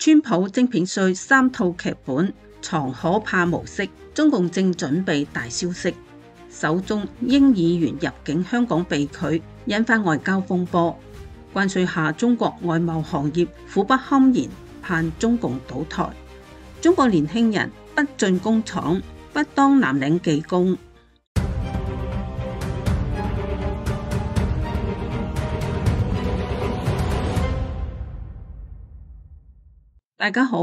川普晶片稅3套劇本藏可怕模式，中共正準備大消息。首宗英議員入境香港被拒，引發外交風波。關稅下中國外貿行業苦不堪言，盼中共倒台。中國年輕人不進工廠，不當藍領技工。大家好，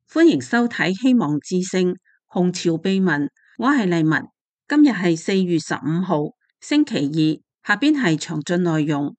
歡迎收睇希望之聲紅潮秘聞，我係麗文。今日係4月15號星期二，下邊係詳盡內容。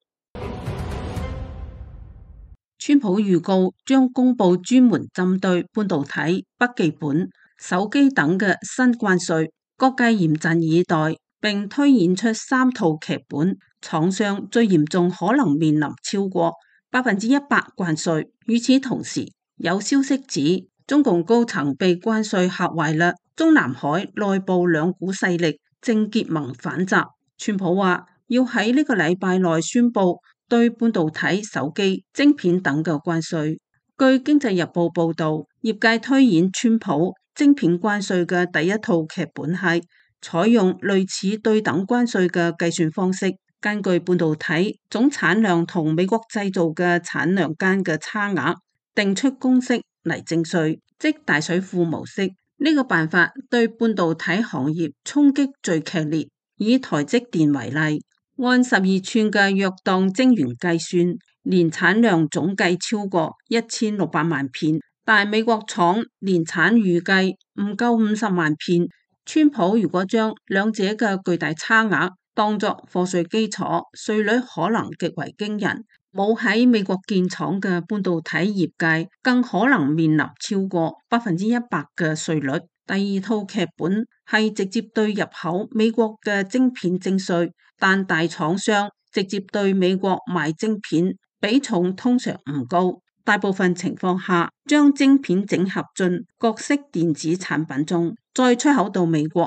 川普預告將公布專門針對半導體、筆記本、手機等嘅新關稅，各界嚴陣以待，並推演出3套劇本，廠商最嚴重可能面臨超過100%關稅。與此同時，有消息指中共高層被關稅嚇壞啦，中南海內部兩股勢力正結盟反襲。川普話要喺呢個禮拜內宣布對半導體、手機、晶片等嘅關稅。據經濟日報報道，業界推演川普晶片關稅嘅第一套劇本係採用類似對等關稅嘅計算方式，根據半導體總產量同美國製造嘅產量間嘅差額，定出公式嚟徵稅，即大水庫模式。呢個辦法對半導體行業衝擊最劇烈。以台積電為例，按12寸嘅約當晶圓計算，年產量總計超過1600萬片，但美國廠年產預計唔夠50萬片。川普如果將兩者嘅巨大差額當作課稅基礎，稅率可能極為驚人。冇喺美國建廠嘅半導體業界更可能面臨超過100%嘅稅率。第二套劇本係直接對入口美國嘅晶片徵稅，但大廠商直接對美國賣晶片比重通常唔高，大部分情況下將晶片整合進各式電子產品中，再出口到美國。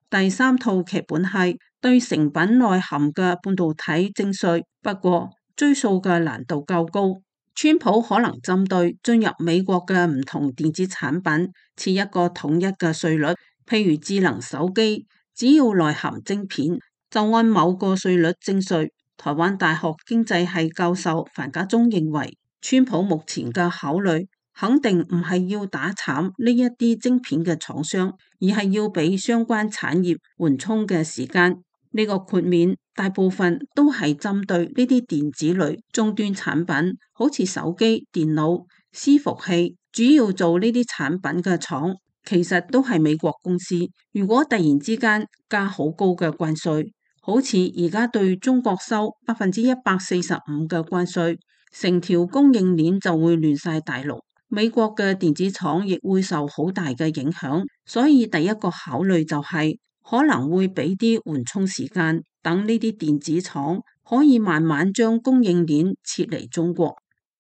第三套劇本係對成品內含嘅半導體徵稅，不過追溯嘅難度較高。川普可能針對進入美國嘅唔同電子產品設一個統一嘅稅率，譬如智能手機，只要內含晶片就按某個稅率徵稅。台灣大學經濟系教授樊家忠認為，川普目前嘅考慮肯定唔係要打慘呢一啲晶片嘅廠商，而係要俾相關產業緩衝嘅時間。呢個豁免大部分都係針對呢啲電子類終端產品，好似手機、電腦、伺服器，主要做呢啲產品嘅廠其實都係美國公司。如果突然之間加好高嘅關稅，好似而家對中國收145%嘅關稅，成條供應鏈就會亂晒大龍，美國嘅電子廠亦會受好大嘅影響。所以第一個考慮就係可能會俾啲緩衝時間，等呢啲電子廠可以慢慢將供應鏈撤離中國。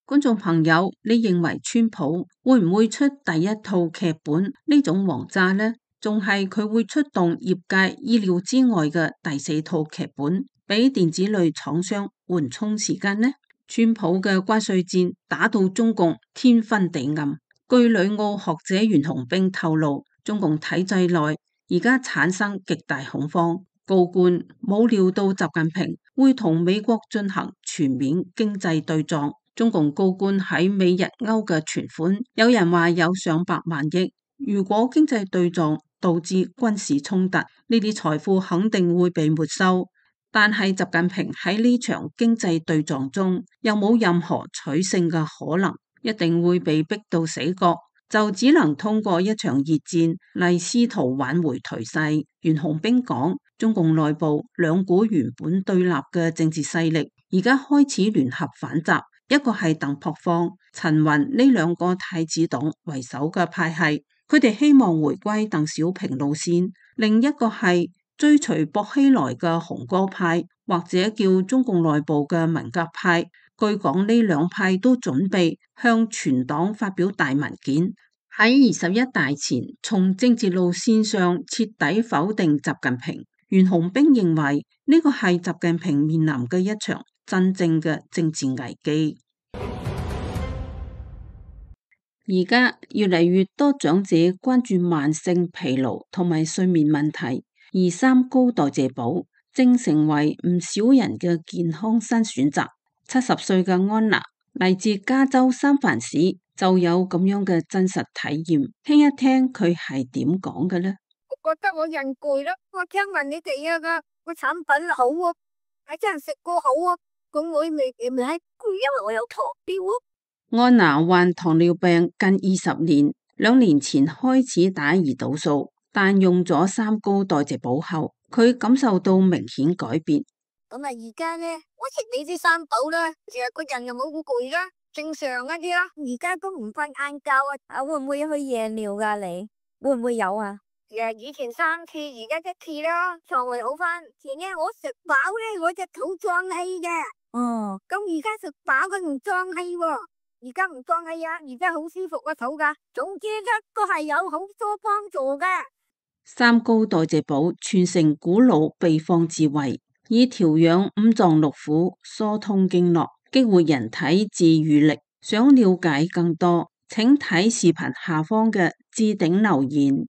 觀眾朋友，你認為川普會唔會出第一套劇本呢種王炸呢？仲係佢會出動業界意料之外嘅第4套劇本，俾電子類廠商緩衝時間呢？川普嘅關稅戰打到中共天昏地暗。據旅澳學者袁洪兵透露，中共體制內而家產生極大恐慌，高官冇料到習近平會同美國進行全面經濟對撞。中共高官喺美日歐嘅存款，有人話有上百萬億。如果經濟對撞導致軍事衝突，呢啲財富肯定會被沒收。但係習近平喺呢場經濟對撞中又冇任何取勝嘅可能，一定會被逼到死角，就只能通過一場熱戰嚟試圖挽回頹勢。袁洪兵講，中共內部兩股原本對立嘅政治勢力，而家開始聯合反襲。一個係鄧樸方、陳雲呢兩個太子黨為首嘅派系，佢哋希望回歸鄧小平路線；另一個係追隨薄熙來嘅紅歌派，或者叫中共內部嘅文革派。據講呢兩派都準備向全黨發表大文件，喺21大前從政治路線上徹底否定習近平。袁洪兵認為呢個係習近平面臨嘅一場真正嘅政治危機。而家越嚟越多長者關注慢性疲勞同埋睡眠問題，而三高代謝寶正成為唔少人嘅健康新選擇。70歲嘅安娜嚟自加州三藩市，就有咁樣嘅真實體驗，聽一聽佢係點講嘅呢？我覺得我人攰啦，我聽聞你哋個產品好啊，係真係食過好啊，咁我未攰，因為我有糖尿啊。安娜患糖尿病近20年，2年前開始打胰島素，但用咗三高代謝寶後，佢感受到明顯改變。咁啊，而家呢，我食你啲三寶啦，其實個人又冇咁攰啦，正常一啲啦。而家都唔瞓晏覺啊，會唔會去夜尿噶？你會唔會有啊？以前3次，而家1次啦，腸胃好翻。前呢我食飽咧，我隻肚脹氣嘅。哦，咁而家食飽佢唔脹氣喎，而家唔脹氣啊，而家好舒服個肚噶。總之咧都係有好多幫助嘅。三高代謝寶傳承古老秘方智慧，以調養五臟六腑、疏通經絡、激活人體自癒力。想了解更多，請睇視頻下方嘅置頂留言。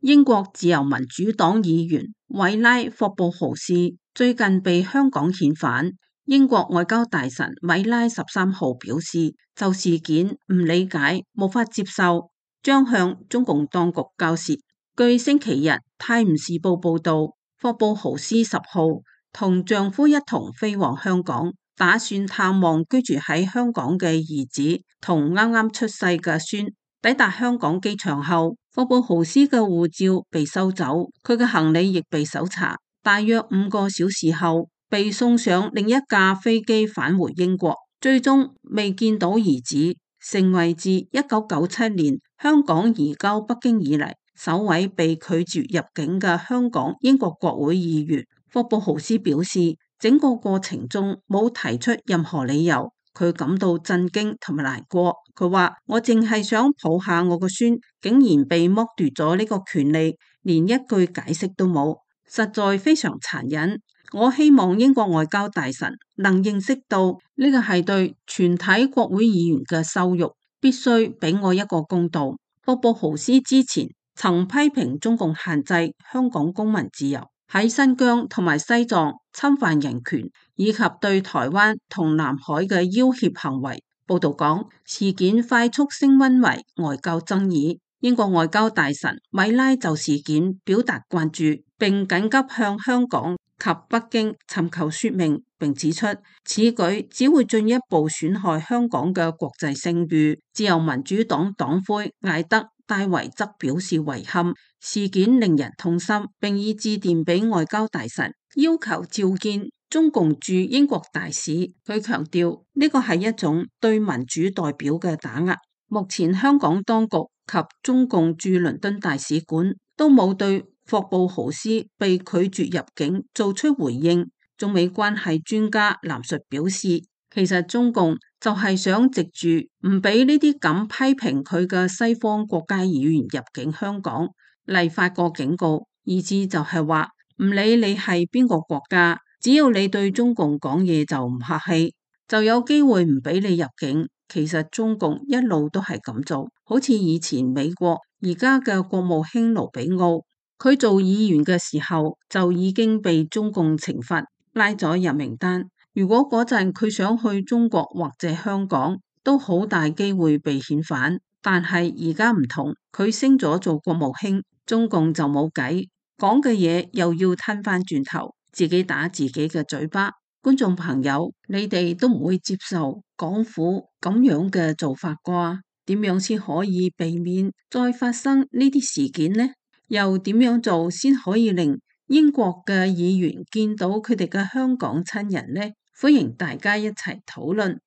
英國自由民主黨議員韋拉霍布豪斯最近被香港遣返。英國外交大臣米拉13號表示，就事件唔理解、無法接受，將向中共當局交涉。據星期日《泰晤士報》報道，霍布豪斯10號同丈夫一同飛往香港，打算探望居住喺香港嘅兒子同啱啱出世嘅孫。抵達香港機場後，霍布豪斯嘅護照被收走，佢嘅行李亦被搜查。大約5個小時後，被送上另一架飛機返回英國，最終未見到兒子，成為自1997年香港移交北京以嚟首位被拒絕入境嘅香港英國國會議員。霍布豪斯表示，整個過程中冇提出任何理由。佢感到震驚同埋難過。佢話：我淨係想抱下我個孫，竟然被剝奪咗呢個權利，連一句解釋都冇，實在非常殘忍。我希望英國外交大臣能認識到呢個係對全體國會議員嘅羞辱，必須俾我一個公道。霍布豪斯之前曾批評中共限制香港公民自由，喺新疆同埋西藏侵犯人權，以及對台灣同南海嘅要挾行為。報道講，事件快速升溫為外交爭議。英國外交大臣米拉就事件表達關注，並緊急向香港及北京尋求說明，並指出此舉只會進一步損害香港嘅國際聲譽。自由民主黨黨魁艾德戴維則表示遺憾，事件令人痛心，並已致電俾外交大臣，要求召見中共駐英國大使。佢強調呢個係一種對民主代表嘅打壓。目前香港當局及中共駐倫敦大使館都冇對霍布豪斯被拒絕入境做出回應。中美關係專家藍述表示，其實中共就係想藉住唔俾呢啲咁批評佢嘅西方國家議員入境香港嚟發個警告，意思就係話唔理你係邊個國家，只要你對中共講嘢就唔客氣，就有機會唔俾你入境。其實中共一路都係咁做，好似以前美國而家嘅國務卿盧比奧，佢做議員嘅時候就已經被中共懲罰，拉咗入名單。如果嗰陣佢想去中國或者香港，都好大機會被遣返。但係而家唔同，佢升咗做國務卿，中共就冇計，講嘅嘢又要吞翻轉頭，自己打自己嘅嘴巴。觀眾朋友，你哋都唔會接受港府咁樣嘅做法啩？點樣先可以避免再發生呢啲事件呢？又點樣做先可以令英國嘅議員見到佢哋嘅香港親人呢？歡迎大家一齊討論。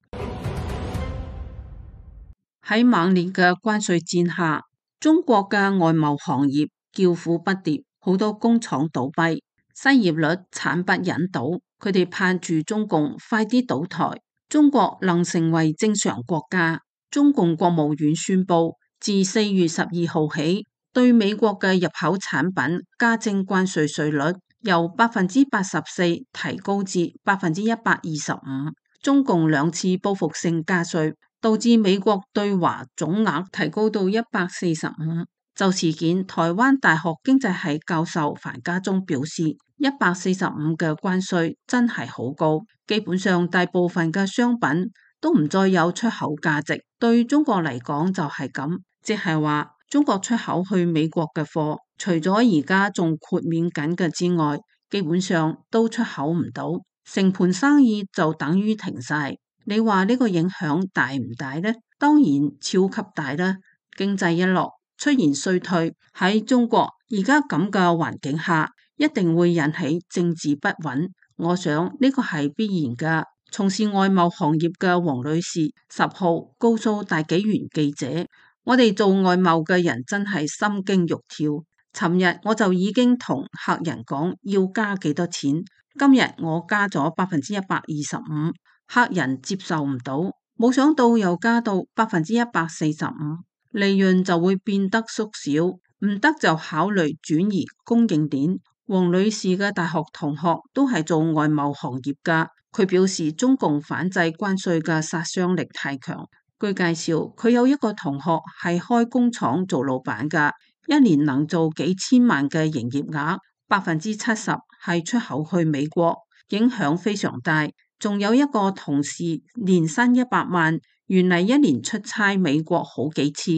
喺猛烈嘅關稅戰下，中國嘅外貿行業叫苦不迭，好多工廠倒閉，失業率慘不忍睹。佢哋盼住中共快啲倒台，中國能成為正常國家。中共國務院宣布，自4月12號起，對美國嘅入口產品加徵關稅稅率，由84%提高至125%。中共2次報復性加稅，導致美國對華總額提高到145。就事件，台灣大學經濟系教授樊家忠表示，145嘅關稅真係好高，基本上大部分嘅商品都唔再有出口價值。對中國嚟講就係咁，即係話中國出口去美國嘅貨，除咗而家仲豁免緊嘅之外，基本上都出口唔到，成盤生意就等於停晒。你話呢個影響大唔大呢？當然超級大啦！經濟一落，出現衰退，喺中國而家咁嘅環境下，一定會引起政治不穩。我想呢個係必然噶。從事外貿行業嘅黃女士10號告訴大紀元記者，我哋做外貿嘅人真係心驚肉跳。尋日我就已經同客人講要加幾多錢，今日我加咗125%，客人接受唔到，冇想到又加到145%，利潤就會變得縮小，唔得就考慮轉移供應鏈。黃女士嘅大學同學都係做外貿行業噶，佢表示中共反制關稅嘅殺傷力太強。據介紹，佢有一個同學係開工廠做老闆噶，一年能做幾千萬嘅營業額，70%係出口去美國，影響非常大。仲有一個同事年薪100萬，原嚟一年出差美國好幾次，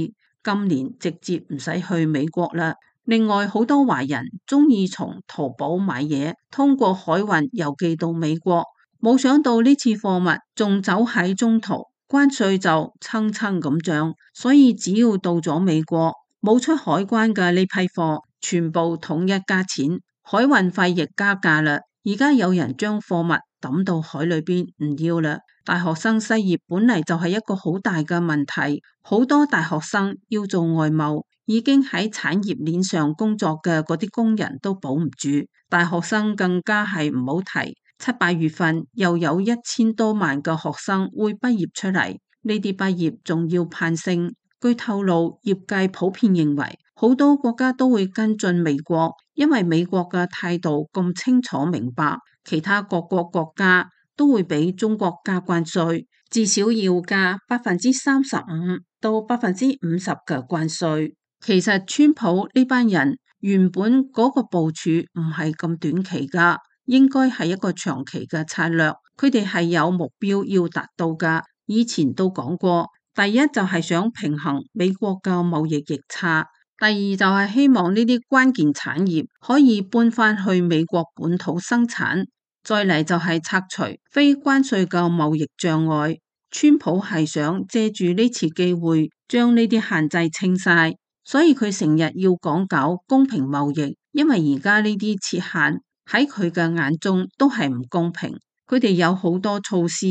今年直接唔使去美國啦。另外好多華人中意從淘寶買嘢，通過海運郵寄到美國，冇想到呢次貨物仲走喺中途，關稅就蹭蹭咁漲，所以只要到咗美國，冇出海關嘅呢批貨全部統一加錢，海運費亦加價啦。而家有人將貨物抌到海裏邊唔要啦。大學生失業本嚟就係一個好大嘅問題，好多大學生要做外貿，已經喺產業鏈上工作嘅嗰啲工人都保唔住，大學生更加係唔好提。7、8月份又有1000多萬嘅學生會畢業出嚟，呢啲畢業仲要攀升。據透露，業界普遍認為好多國家都會跟進美國，因為美國嘅態度咁清楚明白，其他各國國家都會俾中國加關稅，至少要加35%到50%嘅關稅。其實川普呢班人原本嗰個部署唔係咁短期噶，應該係一個長期嘅策略，佢哋係有目標要達到噶。以前都講過，第一就係想平衡美國嘅貿易逆差，第二就係希望呢啲關鍵產業可以搬翻去美國本土生產，再嚟就係拆除非關稅嘅貿易障礙。川普係想借住呢次機會將呢啲限制清晒，所以佢成日要講究公平貿易，因為而家呢啲設限喺佢嘅眼中都係唔公平。佢哋有好多措施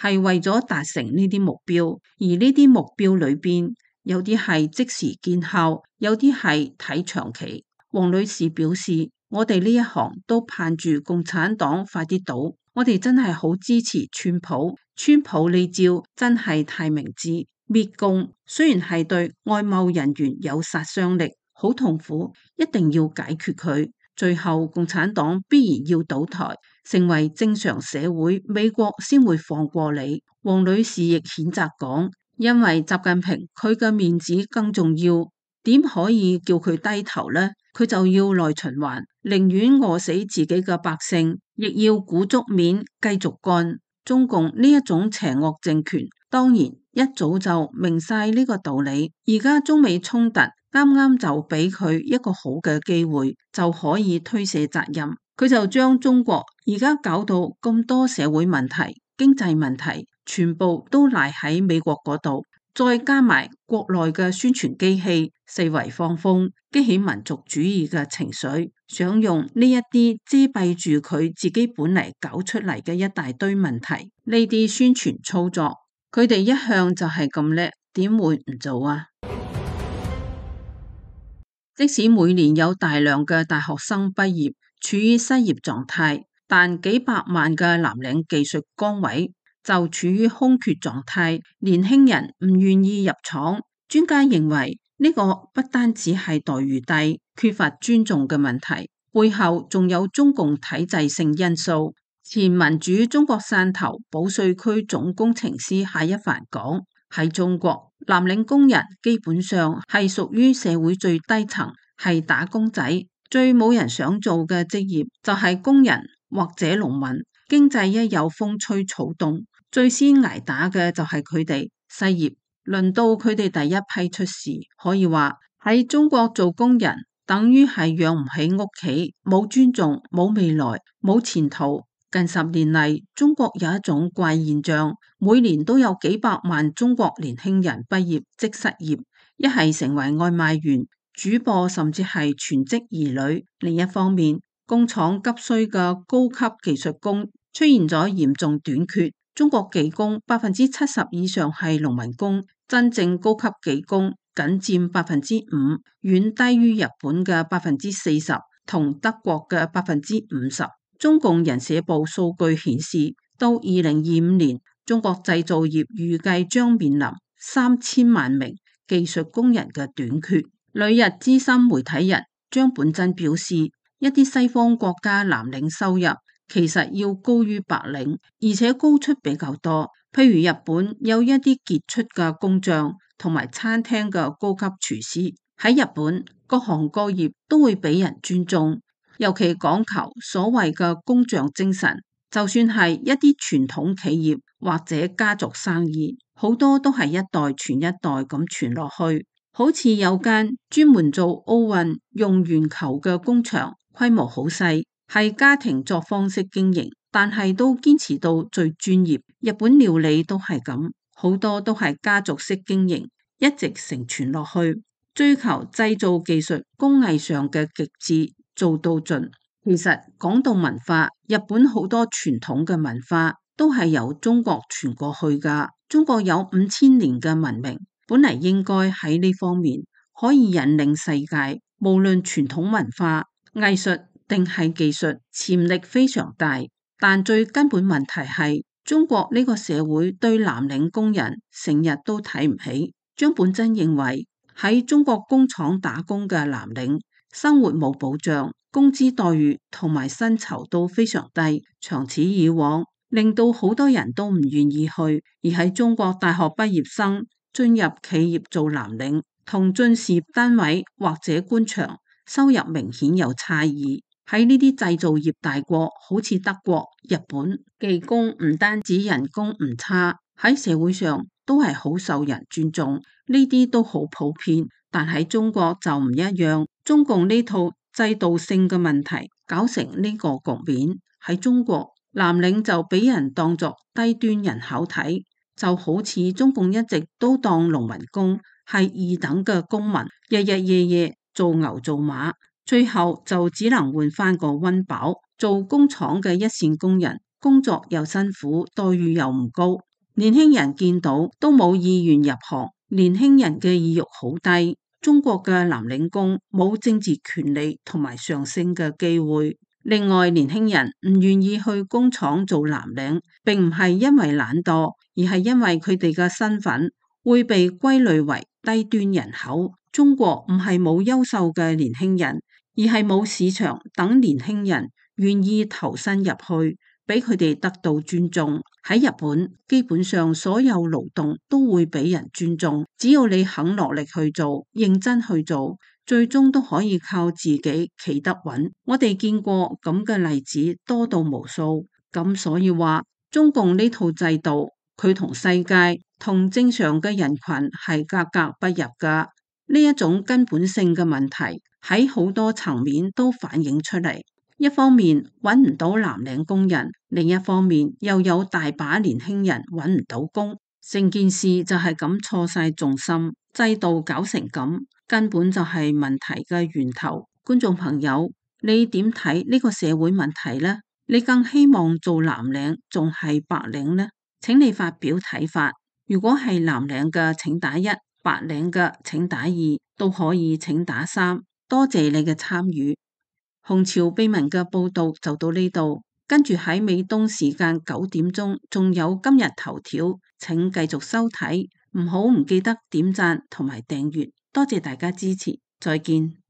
係為咗達成呢啲目標，而呢啲目標裏邊有啲係即時見效，有啲係睇長期。黃女士表示，我哋呢一行都盼住共產黨快啲倒，我哋真係好支持川普。川普呢招真係太明智，滅共雖然係對外貿人員有殺傷力，好痛苦，一定要解決佢。最後共產黨必然要倒台，成為正常社會，美國先會放過你。黃女士亦譴責講，因為習近平佢嘅面子更重要，點可以叫佢低頭呢？佢就要內循環，寧願餓死自己嘅百姓，亦要鼓足面繼續幹。中共呢一種邪惡政權，當然一早就明晒呢個道理。而家中美衝突啱啱就俾佢一個好嘅機會，就可以推卸責任。佢就將中國而家搞到咁多社會問題、經濟問題，全部都賴喺美國嗰度，再加埋國內嘅宣傳機器四圍放風，激起民族主義嘅情緒，想用呢一啲遮蔽住佢自己本嚟搞出嚟嘅一大堆問題。呢啲宣傳操作，佢哋一向就係咁叻，點會唔做啊？即使每年有大量嘅大學生畢業處於失業狀態，但幾百萬嘅藍領技術崗位就處於空缺狀態，年輕人唔願意入廠。專家認為呢個不單止係待遇低、缺乏尊重嘅問題，背後仲有中共體制性因素。前民主中國汕頭保稅區總工程師夏一凡講，喺中國，藍領工人基本上係屬於社會最低層，係打工仔，最冇人想做嘅職業就係工人或者農民。經濟一有風吹草動，最先挨打嘅就係佢哋失業，輪到佢哋第一批出事。可以話喺中國做工人等於係養唔起屋企，冇尊重，冇未來，冇前途。近10年嚟，中國有一種怪現象，每年都有幾百萬中國年輕人畢業即失業，一係成為外賣員、主播，甚至係全職兒女。另一方面，工廠急需嘅高級技術工出現咗嚴重短缺。中國技工70%以上係農民工，真正高級技工僅佔5%，遠低於日本嘅40%同德國嘅50%。中共人社部數據顯示，到2025年，中國製造業預計將面臨3000萬名技術工人嘅短缺。旅日資深媒體人張本真表示，一啲西方國家藍領收入其實要高於白領，而且高出比較多。譬如日本有一啲傑出嘅工匠同埋餐廳嘅高級廚師，喺日本各行各業都會俾人尊重。尤其講求所謂嘅工匠精神，就算係一啲傳統企業或者家族生意，好多都係一代傳一代咁傳落去。好似有間專門做奧運用圓球嘅工場，規模好細，係家庭作坊式經營，但係都堅持到最專業。日本料理都係咁，好多都係家族式經營，一直承傳落去，追求製造技術工藝上嘅極致。做到盡。其實講到文化，日本好多傳統嘅文化都係由中國傳過去㗎。中國有5000年嘅文明，本嚟應該喺呢方面可以引領世界。無論傳統文化、藝術定係技術，潛力非常大。但最根本問題係中國呢個社會對藍領工人成日都睇唔起。張本真認為喺中國工廠打工嘅藍領，生活冇保障，工資待遇同埋薪酬都非常低，長此以往，令到好多人都唔願意去。而喺中國大學畢業生進入企業做藍領，同進事業單位或者官場，收入明顯有差異。喺呢啲製造業大國，好似德國、日本，技工唔單止人工唔差，喺社會上都係好受人尊重，呢啲都好普遍。但喺中國就唔一樣，中共呢套制度性嘅問題搞成呢個局面。喺中國，藍領就俾人當作低端人口睇，就好似中共一直都當農民工係二等嘅公民，日日夜夜做牛做馬，最後就只能換翻個溫飽。做工廠嘅一線工人，工作又辛苦，待遇又唔高，年輕人見到都冇意願入行，年輕人嘅意欲好低。中國嘅藍領工冇政治權利同埋上升嘅機會。另外，年輕人唔願意去工廠做藍領，並唔係因為懶惰，而係因為佢哋嘅身份會被歸類為低端人口。中國唔係冇優秀嘅年輕人，而係冇市場等年輕人願意投身入去，俾佢哋得到尊重。喺日本，基本上所有勞動都會俾人尊重，只要你肯落力去做，認真去做，最終都可以靠自己企得穩。我哋見過咁嘅例子多到無數，咁所以話中共呢套制度，佢同世界同正常嘅人群係格格不入噶。呢一種根本性嘅問題喺好多層面都反映出嚟。一方面揾唔到藍領工人，另一方面又有大把年輕人揾唔到工，成件事就係咁錯晒重心，制度搞成咁，根本就係問題嘅源頭。觀眾朋友，你點睇呢個社會問題呢？你更希望做藍領仲係白領呢？請你發表睇法。如果係藍領嘅請打1，白領嘅請打2，都可以請打3。多謝你嘅參與。紅潮秘聞嘅報道就到呢度，跟住喺美東時間9點鐘仲有今日頭條，請繼續收睇，唔記得點讚同埋訂閱，多謝大家支持，再見。